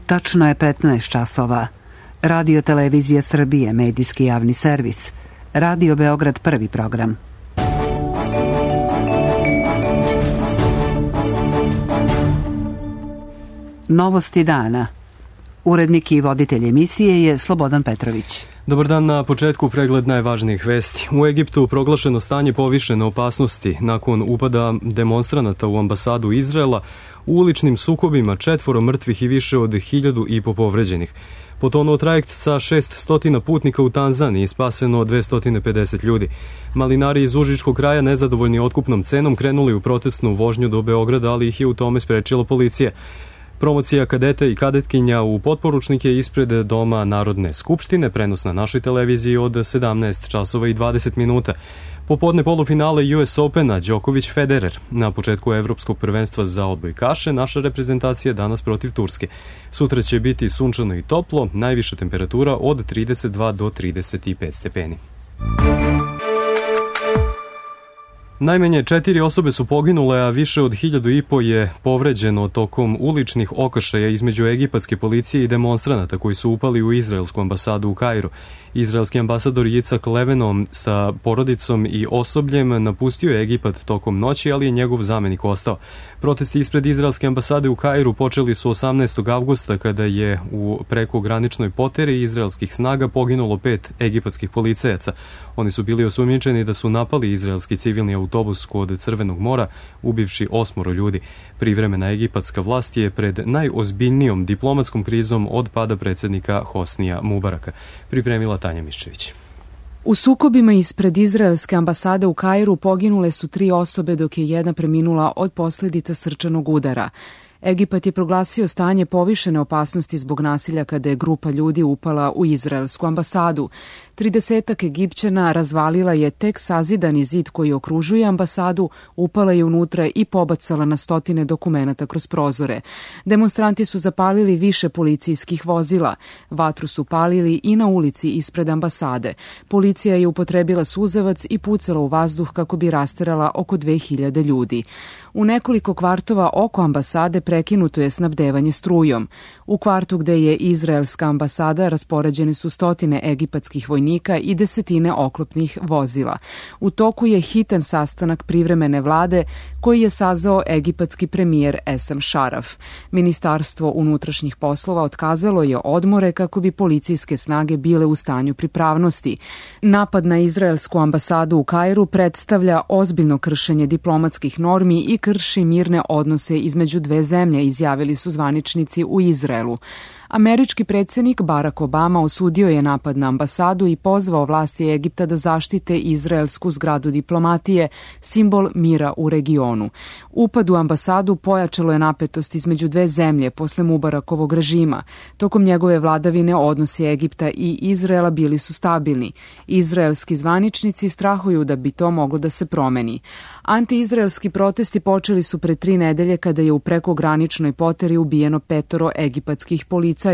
Tačno je 15 časova. Radio Televizija Srbije, medijski javni servis. Radio Beograd, prvi program. Novosti dana. Urednik i voditelj emisije je Slobodan Petrović. Dobar dan, na početku pregled najvažnijih vesti. U Egiptu proglašeno stanje povišene opasnosti nakon upada demonstranata u ambasadu Izraela, u uličnim sukobima 4 mrtvih i više od 1.500 povređenih. Potonuo trajekt sa 600 putnika u Tanzaniji, spaseno 250 ljudi. Malinari iz Užičkog kraja, nezadovoljni otkupnom cenom, krenuli u protestnu vožnju do Beograda, ali ih je u tome sprečila policija. Promocija kadeta i kadetkinja u potporučnike ispred Doma Narodne skupštine, prenos na našoj televiziji od 17 časova i 20 minuta. Popodne polufinale US Opena, Đoković Federer. Na početku Evropskog prvenstva za odbojkaše, naša reprezentacija danas protiv Turske. Sutra će biti sunčano i toplo, najviša temperatura od 32 do 35 stepeni. Najmanje 4 osobe su poginule, a više od 1.500 je povređeno tokom uličnih okršaja između egipatske policije i demonstranata koji su upali u izraelsku ambasadu u Kairu. Izraelski ambasador Jicak Levenom sa porodicom i osobljem napustio je Egipat tokom noći, ali je njegov zamenik ostao. Protesti ispred izraelske ambasade u Kairu počeli su 18. avgusta kada je u prekograničnoj poteri izraelskih snaga poginulo 5 egipatskih policajaca. Oni su bili osumnjičeni da su napali izraelski civilni autobus kod Crvenog mora, ubivši 8 ljudi. Privremena egipatska vlast je pred najozbiljnijom diplomatskom krizom od pada predsjednika Hosnija Mubaraka. Pripremila Tanja Miščević. U sukobima ispred izraelske ambasade u Kairu poginule su 3 osobe, dok je jedna preminula od posljedica srčanog udara. Egipat je proglasio stanje povišene opasnosti zbog nasilja kada je grupa ljudi upala u izraelsku ambasadu. 30 Egipćana razvalila je tek sazidani zid koji okružuje ambasadu, upala je unutra i pobacala na stotine dokumenata kroz prozore. Demonstranti su zapalili više policijskih vozila. Vatru su palili i na ulici ispred ambasade. Policija je upotrebila suzavac i pucala u vazduh kako bi rasterala oko 2000 ljudi. U nekoliko kvartova oko ambasade prekinuto je snabdevanje strujom. U kvartu gde je izraelska ambasada raspoređene su stotine egipatskih vojnika i desetine oklopnih vozila. U toku je hitan sastanak privremene vlade koji je sazvao egipatski premijer Esam Šaraf. Ministarstvo unutrašnjih poslova otkazalo je odmore kako bi policijske snage bile u stanju pripravnosti. Napad na izraelsku ambasadu u Kairu predstavlja ozbiljno kršenje diplomatskih normi i krši mirne odnose između dve zemlje, izjavili su zvaničnici u Izraelu. Američki predsjednik Barack Obama osudio je napad na ambasadu i pozvao vlasti Egipta da zaštite izraelsku zgradu diplomatije, simbol mira u regionu. Upad u ambasadu pojačalo je napetost između dve zemlje posle Mubarakovog režima. Tokom njegove vladavine odnosi Egipta i Izraela bili su stabilni. Izraelski zvaničnici strahuju da bi to moglo da se promeni. Antiizraelski protesti počeli su pre 3 nedelje kada je u prekograničnoj poteri ubijeno 5 egipatskih policajaca.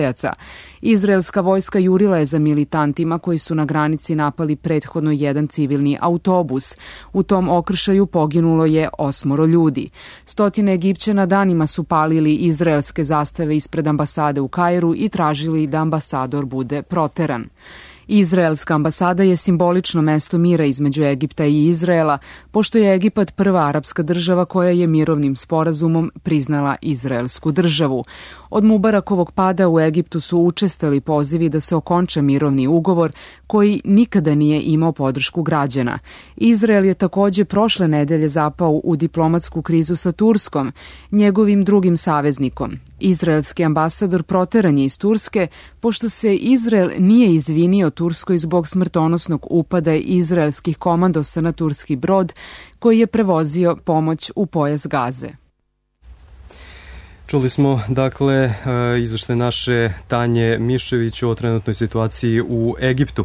Izraelska vojska jurila je za militantima koji su na granici napali prethodno jedan civilni autobus. U tom okršaju poginulo je 8 ljudi. Stotine Egipćana danima su palili izraelske zastave ispred ambasade u Kairu i tražili da ambasador bude proteran. Izraelska ambasada je simbolično mesto mira između Egipta i Izraela, pošto je Egipat prva arapska država koja je mirovnim sporazumom priznala izraelsku državu. Od Mubarakovog pada u Egiptu su učestali pozivi da se okonča mirovni ugovor koji nikada nije imao podršku građana. Izrael je također prošle nedelje zapao u diplomatsku krizu sa Turskom, njegovim drugim saveznikom. Izraelski ambasador proteran je iz Turske, pošto se Izrael nije izvinio Turskoj zbog smrtonosnog upada izraelskih komandosa na turski brod koji je prevozio pomoć u pojas Gaze. Čuli smo, dakle, izveštaj naše Tanje Miščević o trenutnoj situaciji u Egiptu.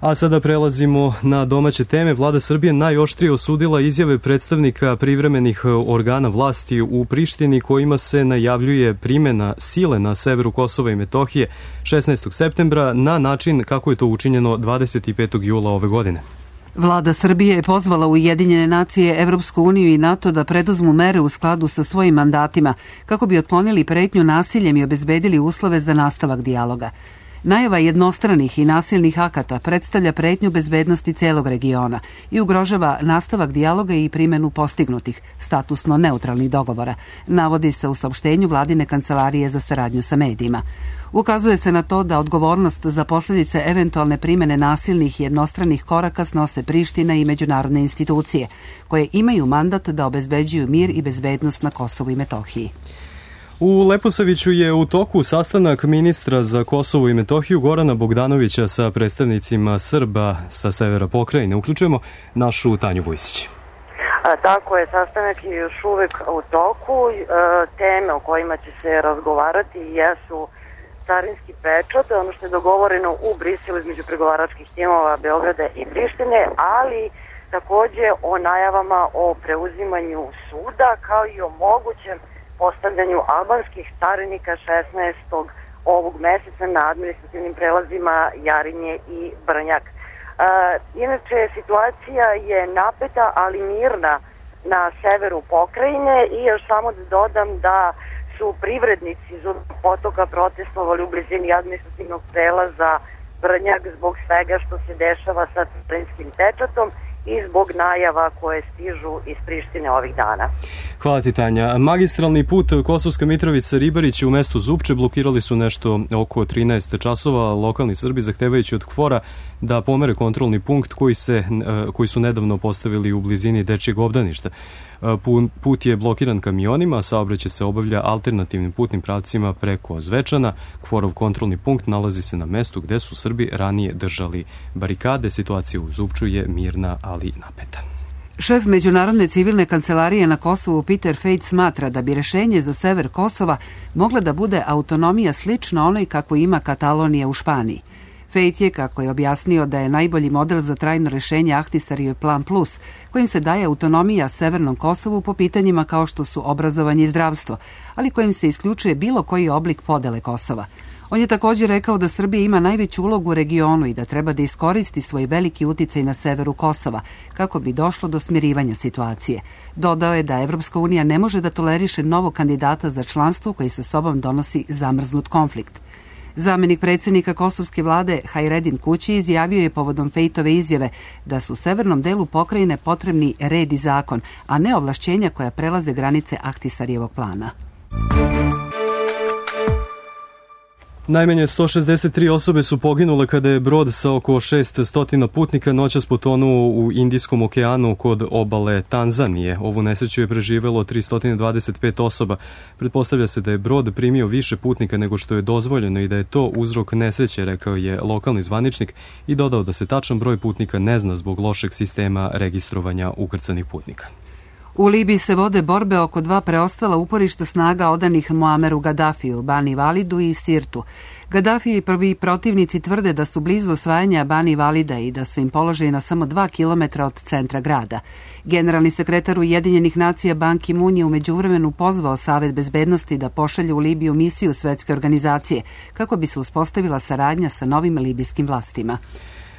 A sada prelazimo na domaće teme. Vlada Srbije najoštrije osudila izjave predstavnika privremenih organa vlasti u Prištini kojima se najavljuje primjena sile na severu Kosova i Metohije 16. septembra na način kako je to učinjeno 25. jula ove godine. Vlada Srbije je pozvala Ujedinjene nacije, Evropsku uniju i NATO da preduzmu mere u skladu sa svojim mandatima kako bi otklonili pretnju nasiljem i obezbedili uslove za nastavak dijaloga. Najava jednostranih i nasilnih akata predstavlja pretnju bezbednosti celog regiona i ugrožava nastavak dijaloga i primjenu postignutih, statusno neutralnih dogovora, navodi se u saopštenju Vladine kancelarije za saradnju sa medijima. Ukazuje se na to da odgovornost za posljedice eventualne primjene nasilnih jednostranih koraka snose Priština i međunarodne institucije, koje imaju mandat da obezbeđuju mir i bezbednost na Kosovu i Metohiji. U Leposaviću je u toku sastanak ministra za Kosovo i Metohiju Gorana Bogdanovića sa predstavnicima Srba sa severa pokrajine. Uključujemo našu Tanju Vujsić. Tako je, sastanak je još uvek u toku. Teme o kojima će se razgovarati jesu carinski pečat, ono što je dogovoreno u Briselu između pregovaračkih timova Beograda i Prištine, ali takođe o najavama o preuzimanju suda kao i o mogućem postavljanju albanskih carinika 16. ovog meseca na administrativnim prelazima Jarinje i Brnjak. Inače, situacija je napeta, ali mirna na severu pokrajine i još samo da dodam da su privrednici iz Potoka protestovali u blizini administrativnog prelaza Brnjak zbog svega što se dešava sa carinskim pečatom i zbog najava koje stižu iz Prištine ovih dana. Hvala ti, Tanja. Magistralni put Kosovska Mitrovica-Ribarić u mestu Zupče blokirali su nešto oko 13 časova lokalni Srbi zahtevajući od KFOR-a da pomere kontrolni punkt koji su nedavno postavili u blizini dečijeg obdaništa. Put je blokiran kamionima, a saobraćaj se obavlja alternativnim putnim pravcima preko Zvečana. KFOR-ov kontrolni punkt nalazi se na mestu gde su Srbi ranije držali barikade. Situacija u Zupču je mirna, ali napeta. Šef Međunarodne civilne kancelarije na Kosovu Peter Fejt smatra da bi rešenje za sever Kosova mogla da bude autonomija slična onoj kako ima Katalonija u Španiji. Fejt je, kako je objasnio, da je najbolji model za trajno rešenje Ahtisarijev plan plus, kojim se daje autonomija Severnom Kosovu po pitanjima kao što su obrazovanje i zdravstvo, ali kojim se isključuje bilo koji oblik podele Kosova. On je također rekao da Srbija ima najveću ulogu u regionu i da treba da iskoristi svoj veliki uticaj na severu Kosova, kako bi došlo do smirivanja situacije. Dodao je da Evropska unija ne može da toleriše novog kandidata za članstvo koji sa sobom donosi zamrznut konflikt. Zamenik predsjednika kosovske vlade Hajredin Kući izjavio je povodom Fejtove izjave da su severnom delu pokrajine potrebni red i zakon, a ne ovlašćenja koja prelaze granice Ahtisarijevog plana. Najmanje 163 osobe su poginule kada je brod sa oko 600 putnika noćas potonuo u Indijskom okeanu kod obale Tanzanije. Ovu nesreću je preživelo 325 osoba. Pretpostavlja se da je brod primio više putnika nego što je dozvoljeno i da je to uzrok nesreće, rekao je lokalni zvaničnik i dodao da se tačan broj putnika ne zna zbog lošeg sistema registrovanja ukrcanih putnika. U Libiji se vode borbe oko dva preostala uporišta snaga odanih Muameru Gadafiju, Bani Validu i Sirtu. Gaddafi i prvi protivnici tvrde da su blizu osvajanja Bani Valida i da su im položaji na samo 2 kilometra od centra grada. Generalni sekretar Ujedinjenih nacija Ban Ki-moon je u međuvremenu pozvao Savet bezbednosti da pošalje u Libiju misiju Svetske organizacije kako bi se uspostavila saradnja sa novim libijskim vlastima.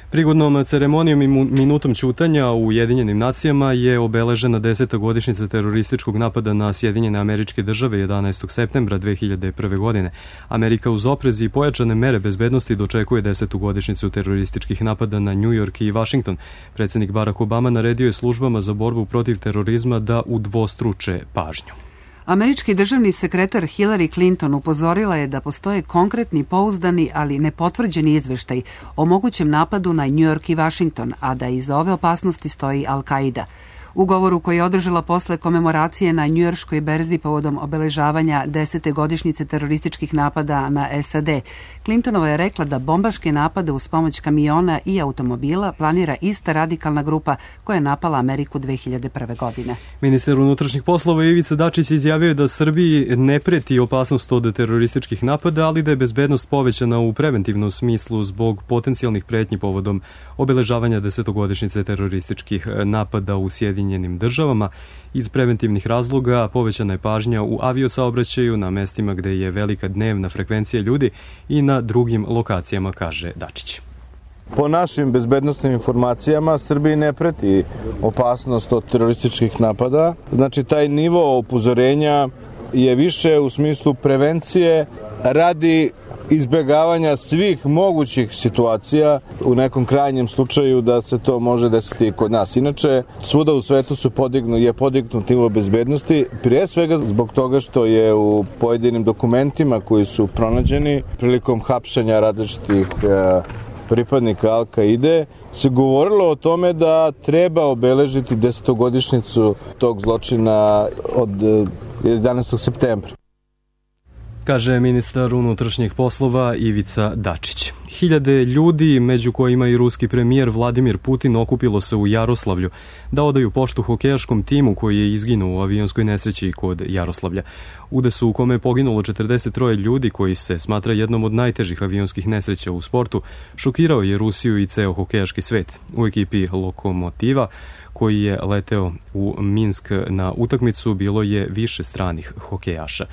Prigodnom ceremonijom i minutom ćutanja u Ujedinjenim nacijama je obeležena 10. godišnjica terorističkog napada na Sjedinjene Američke Države 11. septembra 2001. godine. Amerika uz oprez i pojačane mere bezbednosti dočekuje 10. godišnjicu terorističkih napada na New York i Washington. Predsjednik Barack Obama naredio je službama za borbu protiv terorizma da udvostruče pažnju. Američki državni sekretar Hillary Clinton upozorila je da postoje konkretni, pouzdani, ali nepotvrđeni izveštaj o mogućem napadu na New York i Washington, a da iza ove opasnosti stoji Al-Qaida. U govoru koji je održala posle komemoracije na njujorškoj berzi povodom obeležavanja 10. godišnjice terorističkih napada na SAD, Clintonova je rekla da bombaške napade uz pomoć kamiona i automobila planira ista radikalna grupa koja je napala Ameriku 2001. godine. Ministar unutrašnjih poslova Ivica Dačić izjavio je da Srbiji ne preti opasnost od terorističkih napada, ali da je bezbednost povećana u preventivnom smislu zbog potencijalnih pretnji povodom obeležavanja 10. godišnjice terorističkih napada u Sjedinjenim Državama. Iz preventivnih razloga povećana je pažnja u aviosaobraćaju na mestima gde je velika dnevna frekvencija ljudi i na drugim lokacijama, kaže Dačić. Po našim bezbednosnim informacijama Srbiji ne preti opasnost od terorističkih napada. Znači taj nivo upozorenja je više u smislu prevencije radi izbjegavanja svih mogućih situacija u nekom krajnjem slučaju da se to može desiti i kod nas. Inače, svuda u svetu je podignut nivo bezbednosti, prije svega zbog toga što je u pojedinim dokumentima koji su pronađeni prilikom hapšenja različitih pripadnika Al-Kaide se govorilo o tome da treba obeležiti 10-godišnjicu tog zločina od 11. septembra. Kaže ministar unutrašnjih poslova Ivica Dačić. Hiljade ljudi, među kojima i ruski premijer Vladimir Putin, okupilo se u Jaroslavlju da odaju poštu hokejaškom timu koji je izginuo u avionskoj nesreći kod Jaroslavlja. Udesu u kome je poginulo 43 ljudi koji se smatra jednom od najtežih avionskih nesreća u sportu, šokirao je Rusiju i ceo hokejaški svet. U ekipi Lokomotiva koji je leteo u Minsk na utakmicu bilo je više stranih hokejaša.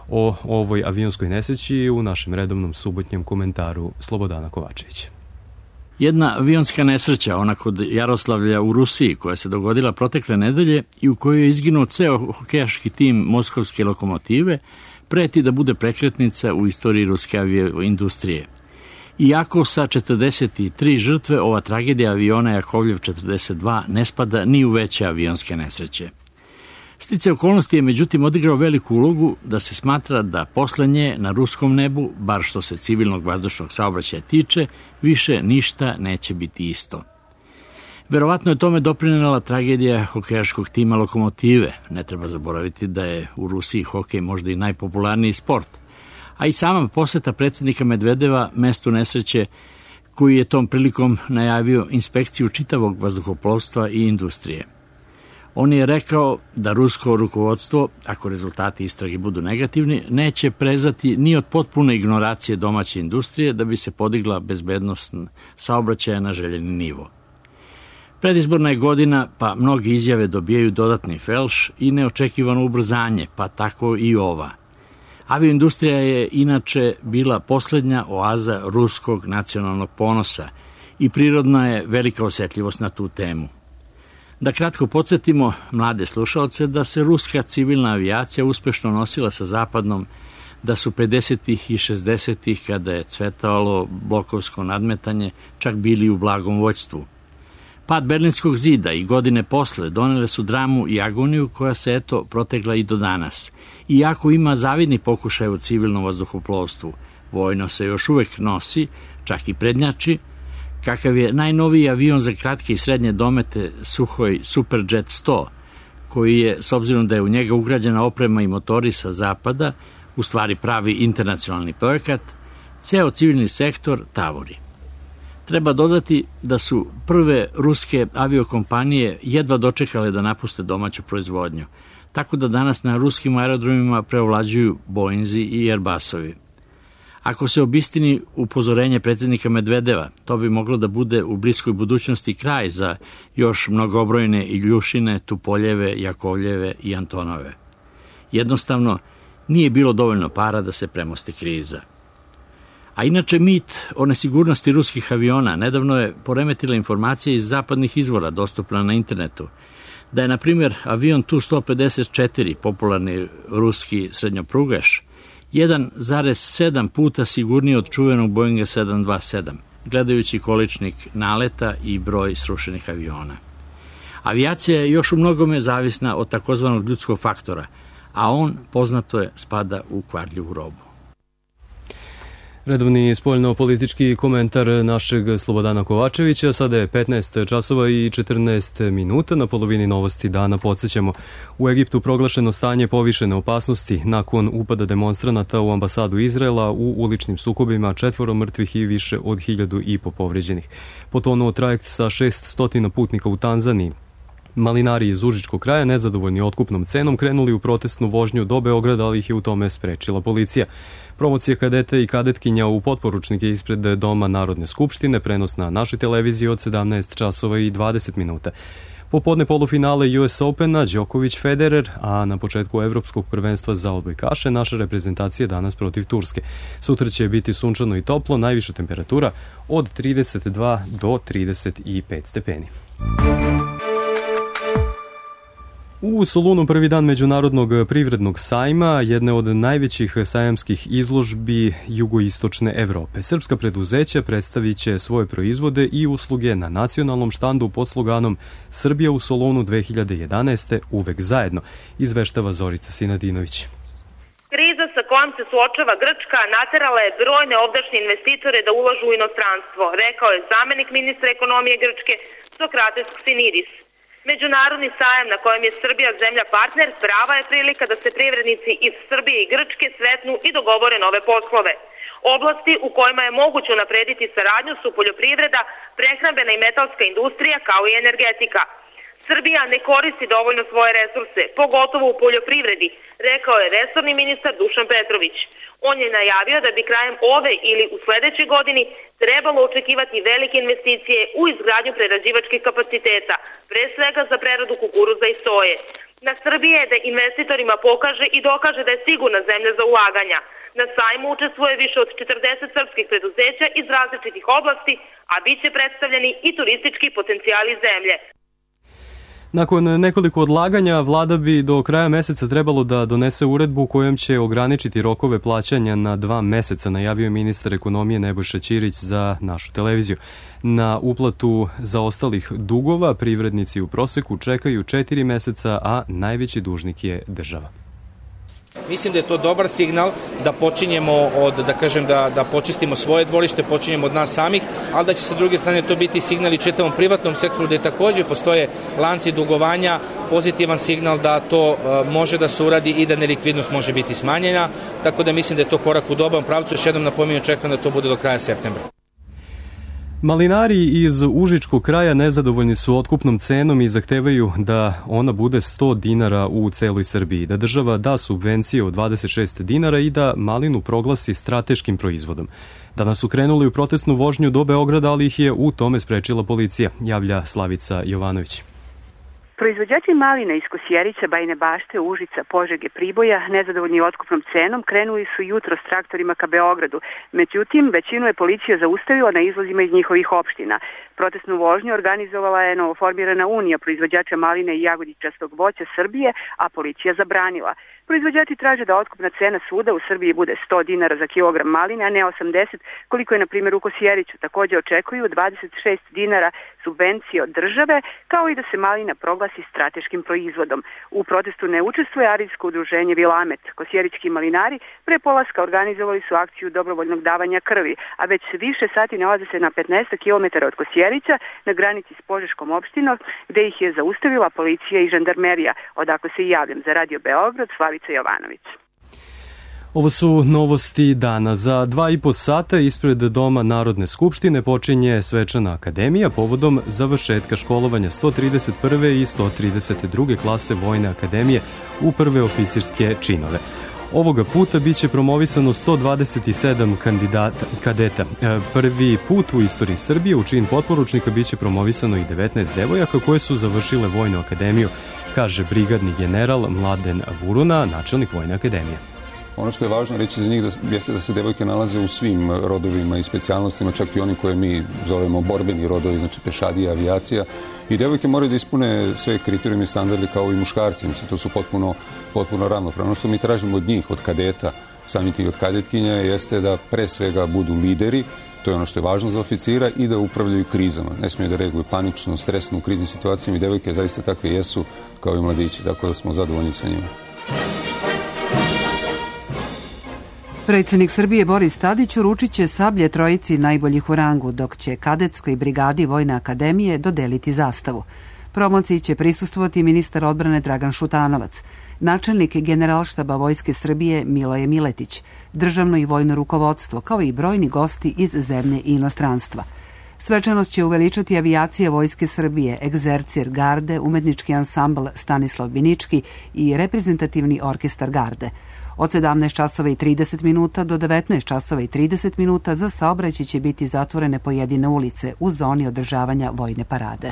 O ovoj avionskoj nesreći u našem redovnom subotnjem komentaru Slobodana Kovačevića. Jedna avionska nesreća, ona kod Jaroslavlja u Rusiji, koja se dogodila protekle nedelje i u kojoj je izginuo ceo hokejaški tim moskovske Lokomotive, preti da bude prekretnica u istoriji ruske avioindustrije. Iako sa 43 žrtve, ova tragedija aviona Jakovljev 42 ne spada ni u veće avionske nesreće. Sticaj okolnosti je međutim odigrao veliku ulogu da se smatra da posle nje na ruskom nebu, bar što se civilnog vazdušnog saobraćaja tiče, više ništa neće biti isto. Verovatno je tome doprinela tragedija hokejaškog tima Lokomotive. Ne treba zaboraviti da je u Rusiji hokej možda i najpopularniji sport. A i sama poseta predsjednika Medvedeva mestu nesreće, koji je tom prilikom najavio inspekciju čitavog vazduhoplovstva i industrije. On je rekao da rusko rukovodstvo, ako rezultati istrage budu negativni, neće prezati ni od potpune ignoracije domaće industrije da bi se podigla bezbednost saobraćaja na željeni nivo. Predizborna je godina, pa mnogi izjave dobijaju dodatni felš i neočekivano ubrzanje, pa tako i ova. Avioindustrija je inače bila poslednja oaza ruskog nacionalnog ponosa i prirodna je velika osjetljivost na tu temu. Da kratko podsjetimo mlade slušaoce da se ruska civilna avijacija uspešno nosila sa zapadnom, da su 50-ih i 60-ih, kada je cvetalo blokovsko nadmetanje, čak bili u blagom vođstvu. Pad Berlinskog zida i godine posle donele su dramu i agoniju koja se protegla i do danas. Iako ima zavidni pokušaj u civilnom vazduhoplovstvu, vojno se još uvek nosi, čak i prednjači, kakav je najnoviji avion za kratke i srednje domete Suhoj Superjet 100, koji je, s obzirom da je u njega ugrađena oprema i motori sa zapada, u stvari pravi internacionalni projekat, ceo civilni sektor tavori. Treba dodati da su prve ruske aviokompanije jedva dočekale da napuste domaću proizvodnju, tako da danas na ruskim aerodromima preovlađuju Boeinzi i Airbusovi. Ako se obistini upozorenje predsjednika Medvedeva, to bi moglo da bude u bliskoj budućnosti kraj za još mnogobrojne Iljušine, Tupoljeve, Jakovljeve i Antonove. Jednostavno, nije bilo dovoljno para da se premosti kriza. A inače mit o nesigurnosti ruskih aviona nedavno je poremetila informacija iz zapadnih izvora dostupna na internetu, da je, na primjer, avion Tu-154, popularni ruski srednjoprugaš, 1,7 puta sigurniji od čuvenog Boeinga 727, gledajući količnik naleta i broj srušenih aviona. Avijacija je još u mnogome zavisna od takozvanog ljudskog faktora, a on, poznato je, spada u kvarljivu robu. Redovni spoljno-politički komentar našeg Slobodana Kovačevića. Sada je 15 časova i 14 minuta. Na polovini novosti dana podsjećamo. U Egiptu proglašeno stanje povišene opasnosti nakon upada demonstranata u ambasadu Izraela u uličnim sukobima, 4 mrtvih i više od 1.500 povređenih. Potonuo trajekt sa 600 putnika u Tanzaniji. Malinari iz Užičkog kraja, nezadovoljni otkupnom cenom, krenuli u protestnu vožnju do Beograda, ali ih je u tome sprečila policija. Promocija kadeta i kadetkinja u potporučnike ispred Doma Narodne skupštine, prenos na našoj televiziji od 17 časova i 20 minuta. Popodne polufinale US Opena, Đoković Federer, a na početku Evropskog prvenstva za odbojkaše naša reprezentacija danas protiv Turske. Sutra će biti sunčano i toplo, najviša temperatura od 32 do 35 stepeni. U Solunu prvi dan Međunarodnog privrednog sajma, jedne od najvećih sajamskih izložbi jugoistočne Evrope. Srpska preduzeća predstavit će svoje proizvode i usluge na nacionalnom štandu pod sloganom Srbija u Solunu 2011. uvek zajedno, izveštava Zorica Sinadinović. Kriza sa kojom se suočava Grčka naterala je brojne ovdašnje investitore da ulažu u inostranstvo, rekao je zamenik ministra ekonomije Grčke Sokrates Ksiniris. Međunarodni sajam na kojem je Srbija zemlja partner prava je prilika da se privrednici iz Srbije i Grčke sretnu i dogovore nove poslove. Oblasti u kojima je moguće unaprediti saradnju su poljoprivreda, prehrambena i metalska industrija kao i energetika. Srbija ne koristi dovoljno svoje resurse, pogotovo u poljoprivredi, rekao je resorni ministar Dušan Petrović. On je najavio da bi krajem ove ili u sledećoj godini trebalo očekivati velike investicije u izgradnju prerađivačkih kapaciteta, pre svega za preradu kukuruza i soje. Na Srbiji je da investitorima pokaže i dokaže da je sigurna zemlja za ulaganja. Na sajmu učestvuje više od 40 srpskih preduzeća iz različitih oblasti, a bit će predstavljeni i turistički potencijali zemlje. Nakon nekoliko odlaganja, vlada bi do kraja meseca trebalo da donese uredbu kojom će ograničiti rokove plaćanja na 2 meseca, najavio je ministar ekonomije Nebojša Ćirić za našu televiziju. Na uplatu zaostalih dugova privrednici u proseku čekaju 4 meseca, a najveći dužnik je država. Mislim da je to dobar signal da počinjemo da počistimo svoje dvorište, počinjemo od nas samih, ali da će sa druge strane to biti signal i čitavom privatnom sektoru gde takođe postoje lanci dugovanja, pozitivan signal da to može da se uradi i da nelikvidnost može biti smanjena, tako da mislim da je to korak u dobrom pravcu. Još jednom napominjem, očekujem da to bude do kraja septembra. Malinari iz Užičkog kraja nezadovoljni su otkupnom cenom i zahtevaju da ona bude 100 dinara u celoj Srbiji, da država da subvencije od 26 dinara i da malinu proglasi strateškim proizvodom. Danas su krenuli u protestnu vožnju do Beograda, ali ih je u tome sprečila policija, javlja Slavica Jovanović. Proizvođači malina iz Kosjerića, Bajine Bašte, Užica, Požege, Priboja, nezadovoljni otkupnom cenom, krenuli su jutro s traktorima ka Beogradu. Međutim, većinu je policija zaustavila na izlazima iz njihovih opština. Protestnu vožnju organizovala je novoformirana Unija proizvođača maline i jagodičastog voća Srbije, a policija zabranila. Proizvođači traže da otkupna cena svuda u Srbiji bude 100 dinara za kilogram maline, a ne 80, koliko je na primjer u Kosjeriću. Također očekuju 26 dinara subvencije od države, kao i da se malina proglasi strateškim proizvodom. U protestu ne učestvuje arijsko udruženje Vilamet. Kosjerićki malinari pre polaska organizovali su akciju dobrovoljnog davanja krvi, a već više sati nalaze se na 15 km od Kosjerića na granici s Požeškom opštinom, gde ih je zaustavila policija i žandarmerija. Odakle se i javljam za Radio Beograd, Slavica Jovanović. Ovo su novosti dana. Za 2,5 sata ispred Doma Narodne skupštine počinje svečana akademija povodom završetka školovanja 131. i 132. klase Vojne akademije u prve oficirske činove. Ovoga puta biće promovisano 127 kadeta. Prvi put u istoriji Srbije u čin potporučnika biće promovisano i 19 devojaka koje su završile Vojnu akademiju, kaže brigadni general Mladen Vuruna, načelnik Vojne akademije. Ono što je važno reći za njih jeste da se devojke nalaze u svim rodovima i specijalnostima, čak i oni koje mi zovemo borbeni rodovi, znači pešadija, avijacija. I devojke moraju da ispune sve kriterijume i standarde kao i muškarci. Mislim, to su potpuno ravnopravno. Ono što mi tražimo od njih, od kadeta, samim tih od kadetkinja, jeste da pre svega budu lideri, to je ono što je važno za oficira, i da upravljaju krizama. Ne smiju da reaguju panično, stresno u kriznim situacijama i devojke zaista takve jesu kao i mladići, tako da smo zadovoljni sa njima. Predsjednik Srbije Boris Tadić uručit će sablje trojici najboljih u rangu, dok će kadetskoj brigadi Vojne akademije dodeliti zastavu. Promociji će prisustvovati ministar odbrane Dragan Šutanovac, načelnik Generalštaba Vojske Srbije Miloje Miletić, državno i vojno rukovodstvo, kao i brojni gosti iz zemlje i inostranstva. Svečanost će uveličati avijacija Vojske Srbije, Egzercir Garde, umetnički ansambl Stanislav Binički i reprezentativni orkestar Garde. Od 17 časova i 30 minuta do 19 časova i 30 minuta za saobraćaj će biti zatvorene pojedine ulice u zoni održavanja vojne parade.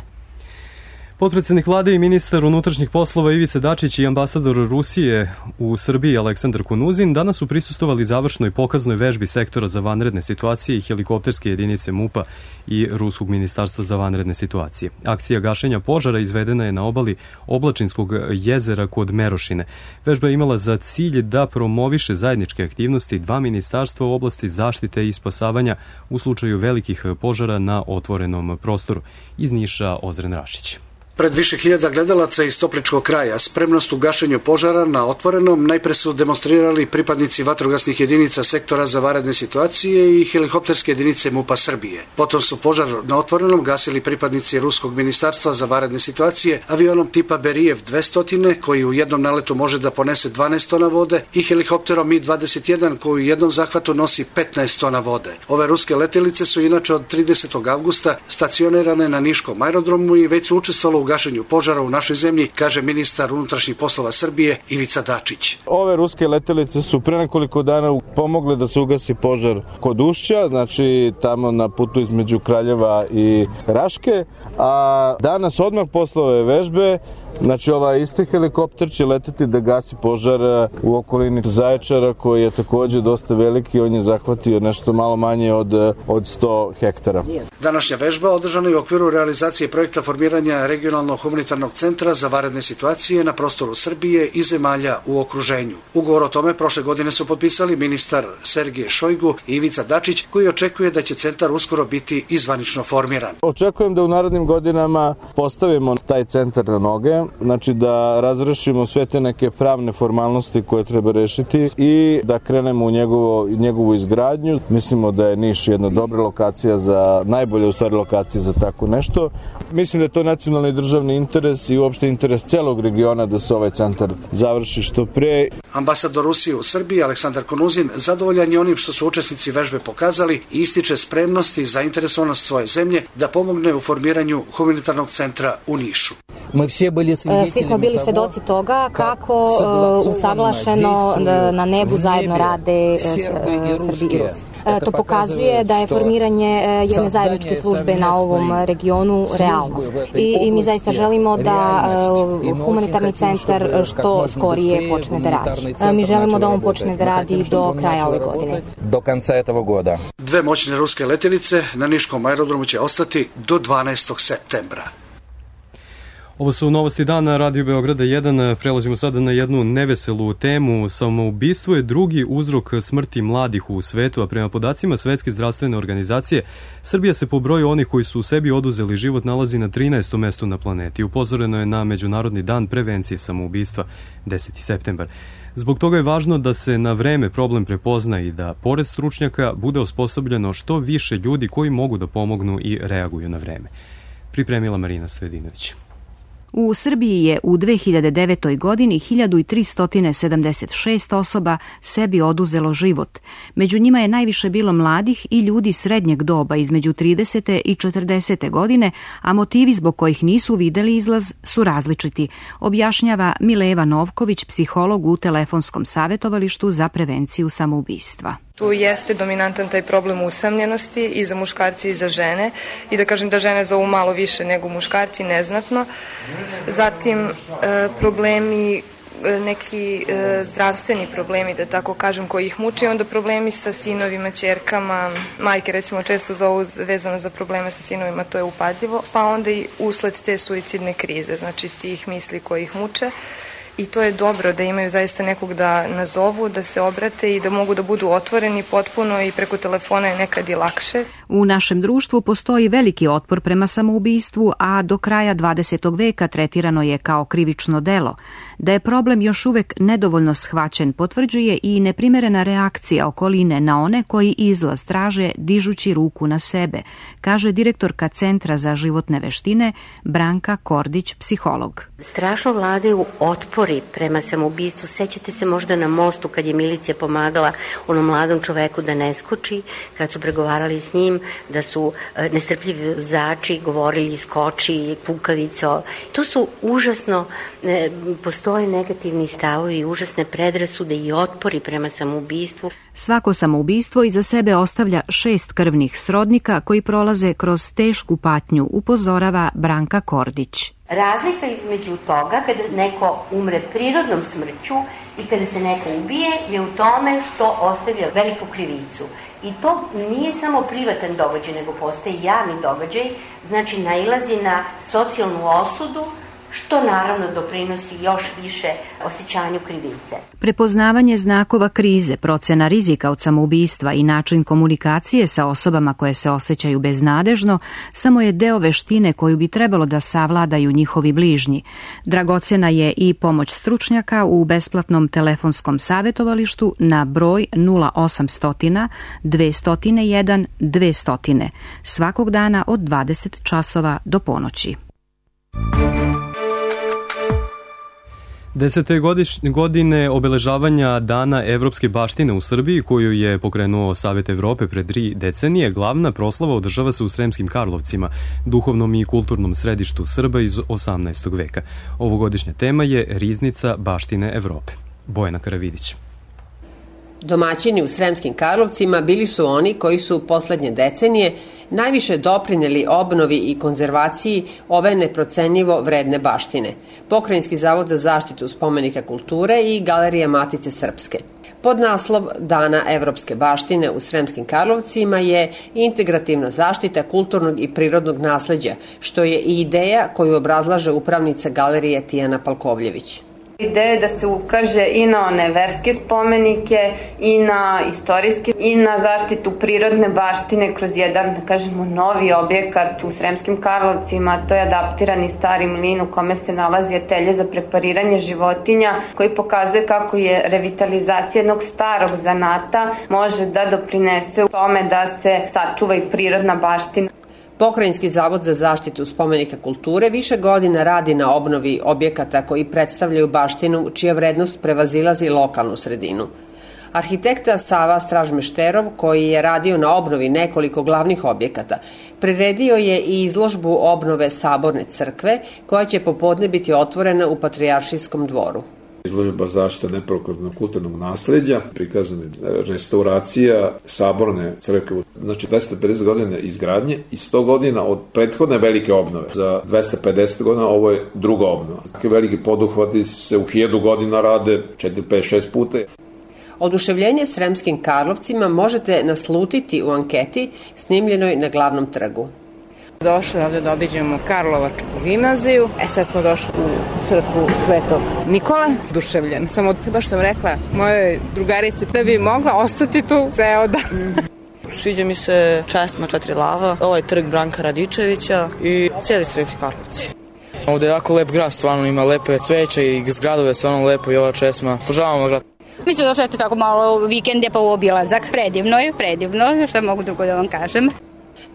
Potpredsednik vlade i ministar unutrašnjih poslova Ivica Dačić i ambasador Rusije u Srbiji Aleksandar Konuzin danas su prisustvovali završnoj pokaznoj vežbi sektora za vanredne situacije i helikopterske jedinice MUP-a i Ruskog ministarstva za vanredne situacije. Akcija gašenja požara izvedena je na obali Oblačinskog jezera kod Merošine. Vežba je imala za cilj da promoviše zajedničke aktivnosti dva ministarstva u oblasti zaštite i spasavanja u slučaju velikih požara na otvorenom prostoru. Iz Niša Ozren Rašić. Pred više hiljada gledalaca iz Topličkog kraja spremnost u gašenju požara na otvorenom najpre su demonstrirali pripadnici vatrogasnih jedinica sektora za vanredne situacije i helikopterske jedinice MUP-a Srbije. Potom su požar na otvorenom gasili pripadnici Ruskog ministarstva za vanredne situacije avionom tipa Berijev 200 koji u jednom naletu može da ponese 12 tona vode i helikopterom Mi-21 koji u jednom zahvatu nosi 15 tona vode. Ove ruske letelice su inače od 30. avgusta stacionirane na Niškom aerodromu i već su učestvovale u gašenju požara u našoj zemlji, kaže ministar unutrašnjih poslova Srbije Ivica Dačić. Ove ruske letelice su pre nekoliko dana pomogle da se ugasi požar kod Ušća, znači tamo na putu između Kraljeva i Raške, a danas odmah posle ove vežbe, znači ovaj isti helikopter će leteti da gasi požar u okolini Zaječara koji je takođe dosta veliki, on je zahvatio nešto malo manje od 100 hektara. Današnja vežba održana je u okviru realizacije projekta formiranja regionalnog humanitarnog centra za vanredne situacije na prostoru Srbije i zemalja u okruženju. Ugovor o tome prošle godine su potpisali ministar Sergej Šojgu i Ivica Dačić, koji očekuje da će centar uskoro biti izvanično formiran. Očekujem da u narednim godinama postavimo taj centar na noge, znači da razrešimo sve te neke pravne formalnosti koje treba rešiti i da krenemo u njegovu izgradnju. Mislimo da je Niš jedna dobra lokacija najbolja u stvari lokacija za tako nešto. Mislim da je to nacionalni državni interes i uopšte interes celog regiona da se ovaj centar završi što pre. Ambasador Rusije u Srbiji Aleksandar Konuzin zadovoljan je onim što su učesnici vežbe pokazali i ističe spremnost i zainteresovanost svoje zemlje da pomogne u formiranju humanitarnog centra u Nišu. Svi smo bili svedoci toga kako usaglašeno na nebu zajedno rade Srbi i Rus. To pokazuje da je formiranje jedne zajedničke službe na ovom regionu realnost. I mi zaista želimo da humanitarni centar što skorije počne da radi. Mi želimo da on počne da radi do kraja ove godine. Do konca etog goda. Dve moćne ruske letelice na Niškom aerodromu će ostati do 12. septembra. Ovo su novosti dana Radio Beograda 1. Prelazimo sada na jednu neveselu temu. Samoubistvo je drugi uzrok smrti mladih u svetu, a prema podacima Svetske zdravstvene organizacije, Srbija se po broju onih koji su u sebi oduzeli život nalazi na 13. mestu na planeti. Upozoreno je na Međunarodni dan prevencije samoubistva 10. septembar. Zbog toga je važno da se na vreme problem prepozna i da, pored stručnjaka, bude osposobljeno što više ljudi koji mogu da pomognu i reaguju na vreme. Pripremila Marina Stojedinović. U Srbiji je u 2009. godini 1376 osoba sebi oduzelo život. Među njima je najviše bilo mladih i ljudi srednjeg doba između 30. i 40. godine, a motivi zbog kojih nisu videli izlaz su različiti, objašnjava Mileva Novković, psiholog u telefonskom savjetovalištu za prevenciju samoubistva. Tu jeste dominantan taj problem usamljenosti i za muškarci i za žene i da kažem da žene zovu malo više nego muškarci, neznatno. Zatim problemi, neki zdravstveni problemi, da tako kažem, koji ih muče, onda problemi sa sinovima, ćerkama, majke recimo često zovu vezano za probleme sa sinovima, to je upadljivo, pa onda i usled te suicidne krize, znači tih misli koji ih muče. I to je dobro da imaju zaista nekog da nazovu, da se obrate i da mogu da budu otvoreni potpuno i preko telefona je nekad i lakše. U našem društvu postoji veliki otpor prema samoubistvu, a do kraja 20. veka tretirano je kao krivično delo. Da je problem još uvek nedovoljno shvaćen potvrđuje i neprimerena reakcija okoline na one koji izlaz traže dižući ruku na sebe, kaže direktorka Centra za životne veštine Branka Kordić, psiholog. Strašno vladaju otpori prema samoubistvu. Sećate se možda na mostu kad je milicija pomagala onom mladom čoveku da ne skoči, kad su pregovarali s njim, da su nestrpljivi vozači govorili skoči, kukavico. To su užasno, postoje negativni stavovi i užasne predrasude i otpori prema samoubistvu. Svako samoubistvo iza sebe ostavlja 6 krvnih srodnika koji prolaze kroz tešku patnju, upozorava Branka Kordić. Razlika između toga kada neko umre prirodnom smrću i kada se neko ubije je u tome što ostavlja veliku krivicu. I to nije samo privatan događaj, nego postaje javni događaj, znači nailazi na socijalnu osudu, što naravno doprinosi još više osjećanju krivice. Prepoznavanje znakova krize, procena rizika od samoubistva i način komunikacije sa osobama koje se osjećaju beznadežno samo je deo veštine koju bi trebalo da savladaju njihovi bližnji. Dragocena je i pomoć stručnjaka u besplatnom telefonskom savjetovalištu na broj 0800 201 200 svakog dana od 20 časova do ponoći. 10. godine obeležavanja Dana evropske baštine u Srbiji, koju je pokrenuo Savet Evrope pred 3 decenije, glavna proslava održava se u Sremskim Karlovcima, duhovnom i kulturnom središtu Srba iz 18. veka. Ovogodišnja tema je Riznica baštine Evrope. Bojana Karavidić. Domaćini u Sremskim Karlovcima bili su oni koji su poslednje decenije najviše doprineli obnovi i konzervaciji ove neprocenjivo vredne baštine. Pokrajinski zavod za zaštitu spomenika kulture i Galerija Matice Srpske. Pod naslov Dana evropske baštine u Sremskim Karlovcima je integrativna zaštita kulturnog i prirodnog nasleđa, što je i ideja koju obrazlaže upravnica galerije Tijana Palkovljević. Ideja je da se ukaže i na one verske spomenike, i na istorijske, i na zaštitu prirodne baštine kroz jedan, da kažemo, novi objekat u Sremskim Karlovcima. To je adaptirani stari mlin u kome se nalazi atelje za prepariranje životinja, koji pokazuje kako je revitalizacija jednog starog zanata može da doprinese u tome da se sačuva i prirodna baština. Pokrajinski zavod za zaštitu spomenika kulture više godina radi na obnovi objekata koji predstavljaju baštinu čija vrednost prevazilazi lokalnu sredinu. Arhitekta Sava Stražmešterov, koji je radio na obnovi nekoliko glavnih objekata, priredio je i izložbu obnove Saborne crkve, koja će popodne biti otvorena u Patrijaršijskom dvoru. Izložba zaštita neprokladnog kulturnog nasleđa, prikazana restauracija Saborne crkve, znači 250 godina izgradnje i 100 godina od prethodne velike obnove. Za 250 godina ovo je druga obnova. Takvi veliki poduhvati se u 1000 godina rade 4, 5, 6 puta. Oduševljenje Sremskim Karlovcima možete naslutiti u anketi snimljenoj na Glavnom trgu. Došli ovde da obiđemo Karlovačku gimnaziju. Sad smo došli u crkvu Svetog Nikola. Oduševljen. Samo baš sam rekla mojoj drugarici da bi mogla ostati tu ceo dan. Sviđa mi se česma 4 lava, ovaj trg Branka Radičevića i cijeli Sremski Karlovci. Ovde je jako lep grad, stvarno ima lepe cveće i zgradove, stvarno lepo i ova česma. Požavamo grad. Mi smo došli tako malo vikende pa u obilazak. Predivno, što mogu drugo da vam kažem.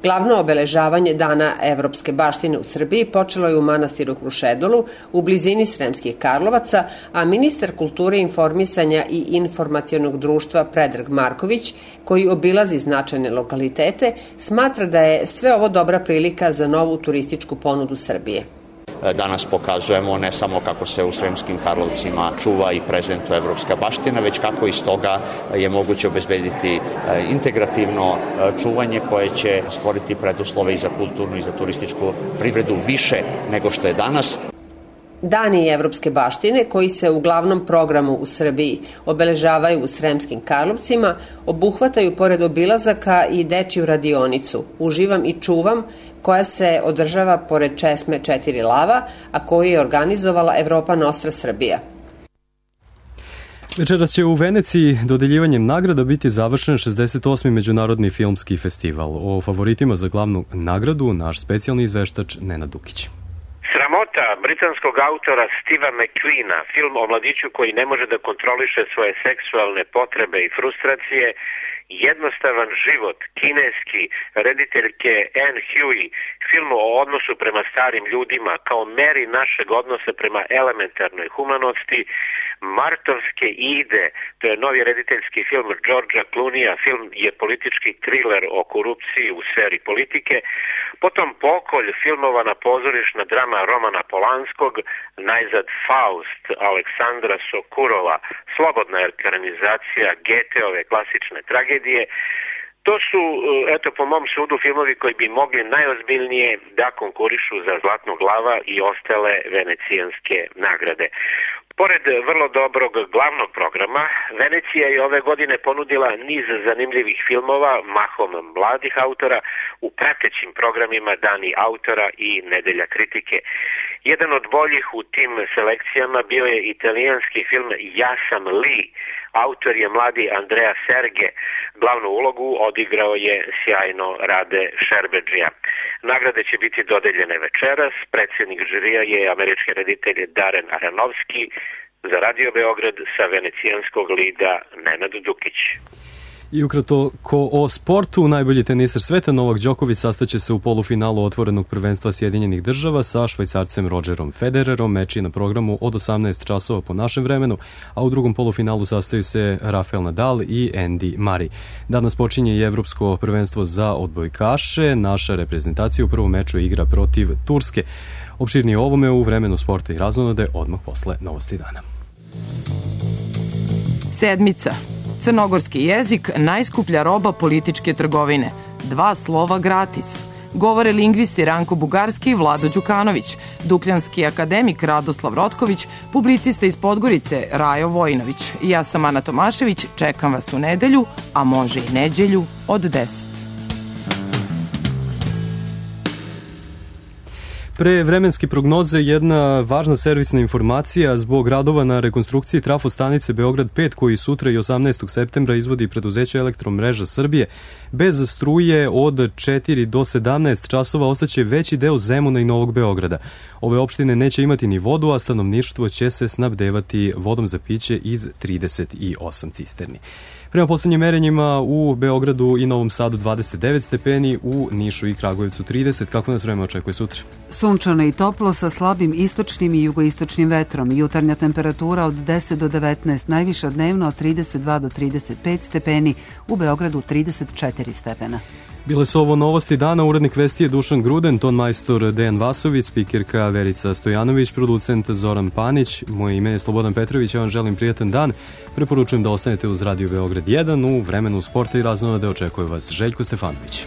Glavno obeležavanje Dana evropske baštine u Srbiji počelo je u manastiru Krušedolu u blizini Sremskih Karlovaca, a ministar kulture, informisanja i informacionog društva Predrag Marković, koji obilazi značajne lokalitete, smatra da je sve ovo dobra prilika za novu turističku ponudu Srbije. Danas pokazujemo ne samo kako se u Sremskim Karlovcima čuva i prezentuje evropska baština, već kako iz toga je moguće obezbediti integrativno čuvanje koje će stvoriti preduslove i za kulturnu i za turističku privredu više nego što je danas. Dani evropske baštine, koji se u glavnom programu u Srbiji obeležavaju u Sremskim Karlovcima, obuhvataju pored obilazaka i dečiju radionicu Uživam i čuvam, koja se održava pored česme 4 lava, a koju je organizovala Evropa Nostra Srbija. Večeras će u Veneciji dodeljivanjem nagrada biti završen 68. Međunarodni filmski festival. O favoritima za glavnu nagradu naš specijalni izveštač Nenad Dukić. Sramota britanskog autora Steva McQueena, film o mladiću koji ne može da kontroliše svoje seksualne potrebe i frustracije, Jednostavan život, kineski, rediteljke Anne Huey, film o odnosu prema starim ljudima kao meri našeg odnosa prema elementarnoj humanosti, Martovske ide, to je novi rediteljski film Georgea Clooneyja, film je politički triler o korupciji u sferi politike, potom Pokolj, filmovana pozorišna drama Romana Polanskog, najzad Faust Aleksandra Sokurova, slobodna ekranizacija Goetheove klasične tragedije. To su, eto, po mom sudu, filmovi koji bi mogli najozbiljnije da konkurišu za Zlatnog lava i ostale venecijanske nagrade. Pored vrlo dobrog glavnog programa, Venecija je ove godine ponudila niz zanimljivih filmova, mahom mladih autora, u pratećim programima Dani autora i Nedelja kritike. Jedan od boljih u tim selekcijama bio je italijanski film Ja sam Li. Autor je mladi Andrea Serge. Glavnu ulogu odigrao je sjajno Rade Šerbedžija. Nagrade će biti dodeljene večeras. Predsjednik žirija je američki reditelj Darren Aronofsky. Za Radio Beograd sa venecijanskog lida Nenad Dukić. I ukratko o sportu, najbolji teniser sveta Novak Đoković sastaće se u polufinalu otvorenog prvenstva Sjedinjenih država sa Švajcarcem Rodgerom Federerom. Meč je na programu od 18 časova po našem vremenu, a u drugom polufinalu sastaju se Rafael Nadal i Andy Murray. Danas počinje i Evropsko prvenstvo za odbojkaše. Naša reprezentacija u prvom meču igra protiv Turske. Opširnije o ovome u vremenu sporta i razonode odmah posle novosti dana. Sedmica. Crnogorski jezik, najskuplja roba političke trgovine. 2 slova gratis. Govore lingvisti Ranko Bugarski i Vlado Đukanović, dukljanski akademik Radoslav Rotković, publicista iz Podgorice Rajo Vojinović. Ja sam Ana Tomašević, čekam vas u nedelju, a može i neđelju od 10. Pre vremenske prognoze jedna važna servisna informacija zbog radova na rekonstrukciji trafostanice Beograd 5 koji sutra i 18. septembra izvodi preduzeće Elektromreža Srbije. Bez struje od 4 do 17 časova ostaće veći deo Zemuna i Novog Beograda. Ove opštine neće imati ni vodu, a stanovništvo će se snabdevati vodom za piće iz 38 cisterni. Prema poslednjim merenjima u Beogradu i Novom Sadu 29 stepeni, u Nišu i Kragujevcu 30. Kako nas vreme očekuje sutra? Sunčano i toplo sa slabim istočnim i jugoistočnim vetrom. Jutarnja temperatura od 10 do 19, najviša dnevno od 32 do 35 stepeni, u Beogradu 34 stepena. Bile su ovo novosti dana, urednik vesti je Dušan Gruden, ton majstor Dejan Vasović, spikerka Verica Stojanović, producent Zoran Panić, moje ime je Slobodan Petrović, ja vam želim prijatan dan, preporučujem da ostanete uz Radio Beograd 1, u vremenu sporta i razonode očekuje vas Željko Stefanović.